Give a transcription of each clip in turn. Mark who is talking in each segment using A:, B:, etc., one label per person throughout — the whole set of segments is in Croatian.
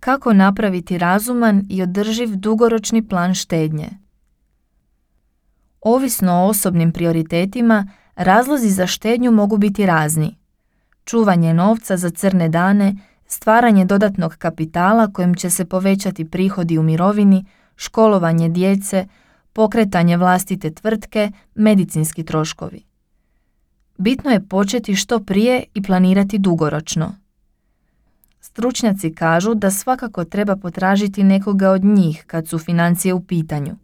A: kako napraviti razuman i održiv dugoročni plan štednje. Ovisno o osobnim prioritetima, razlozi za štednju mogu biti razni. Čuvanje novca za crne dane, stvaranje dodatnog kapitala kojim će se povećati prihodi u mirovini, školovanje djece, pokretanje vlastite tvrtke, medicinski troškovi. Bitno je početi što prije i planirati dugoročno. Stručnjaci kažu da svakako treba potražiti nekoga od njih kad su financije u pitanju.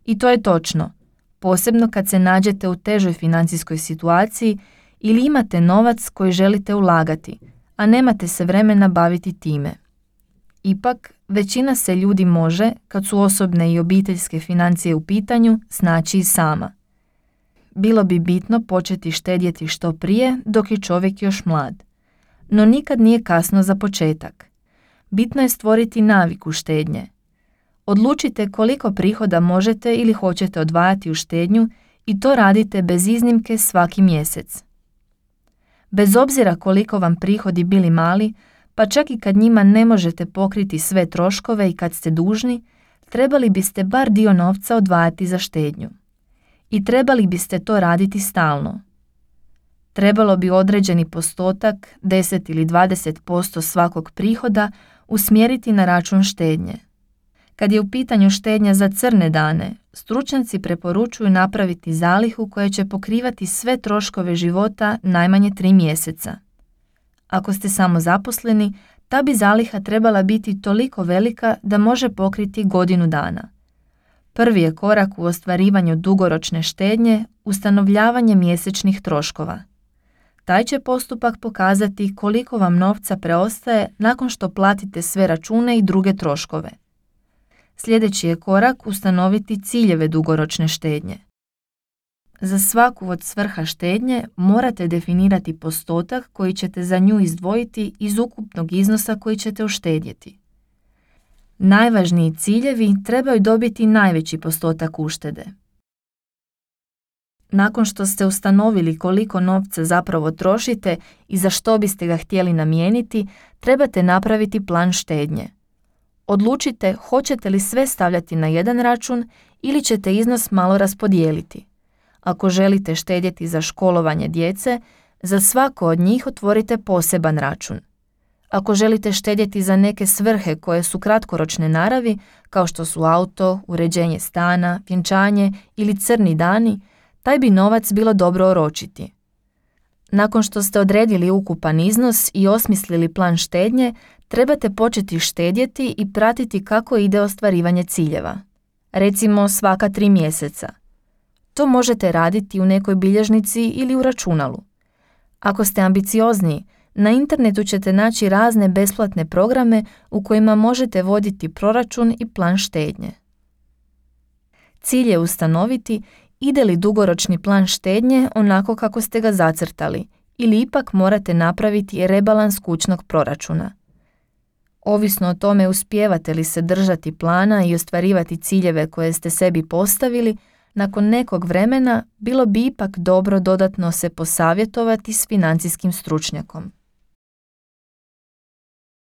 A: I to je točno, posebno kad se nađete u težoj financijskoj situaciji ili imate novac koji želite ulagati, a nemate se vremena baviti time. Ipak, većina se ljudi može, kad su osobne i obiteljske financije u pitanju, snaći i sama. Bilo bi bitno početi štedjeti što prije dok je čovjek još mlad. No nikad nije kasno za početak. Bitno je stvoriti naviku štednje. Odlučite koliko prihoda možete ili hoćete odvajati u štednju i to radite bez iznimke svaki mjesec. Bez obzira koliko vam prihodi bili mali, pa čak i kad njima ne možete pokriti sve troškove i kad ste dužni, trebali biste bar dio novca odvajati za štednju. I trebali biste to raditi stalno. Trebalo bi određeni postotak, 10 ili 20% svakog prihoda, usmjeriti na račun štednje. Kad je u pitanju štednja za crne dane, stručnjaci preporučuju napraviti zalihu koja će pokrivati sve troškove života najmanje 3 mjeseca. Ako ste samozaposleni, ta bi zaliha trebala biti toliko velika da može pokriti godinu dana. Prvi je korak u ostvarivanju dugoročne štednje ustanovljavanje mjesečnih troškova. Taj će postupak pokazati koliko vam novca preostaje nakon što platite sve račune i druge troškove. Sljedeći je korak ustanoviti ciljeve dugoročne štednje. Za svaku od svrha štednje morate definirati postotak koji ćete za nju izdvojiti iz ukupnog iznosa koji ćete uštedjeti. Najvažniji ciljevi trebaju dobiti najveći postotak uštede. Nakon što ste ustanovili koliko novca zapravo trošite i za što biste ga htjeli namijeniti, trebate napraviti plan štednje. Odlučite hoćete li sve stavljati na jedan račun ili ćete iznos malo raspodijeliti. Ako želite štedjeti za školovanje djece, za svako od njih otvorite poseban račun. Ako želite štedjeti za neke svrhe koje su kratkoročne naravi, kao što su auto, uređenje stana, vjenčanje ili crni dani, taj bi novac bilo dobro oročiti. Nakon što ste odredili ukupan iznos i osmislili plan štednje, trebate početi štedjeti i pratiti kako ide ostvarivanje ciljeva. Recimo svaka 3 mjeseca. To možete raditi u nekoj bilježnici ili u računalu. Ako ste ambiciozniji, na internetu ćete naći razne besplatne programe u kojima možete voditi proračun i plan štednje. Cilj je ustanoviti ide li dugoročni plan štednje onako kako ste ga zacrtali ili ipak morate napraviti rebalans kućnog proračuna. Ovisno o tome uspijevate li se držati plana i ostvarivati ciljeve koje ste sebi postavili, nakon nekog vremena bilo bi ipak dobro dodatno se posavjetovati s financijskim stručnjakom.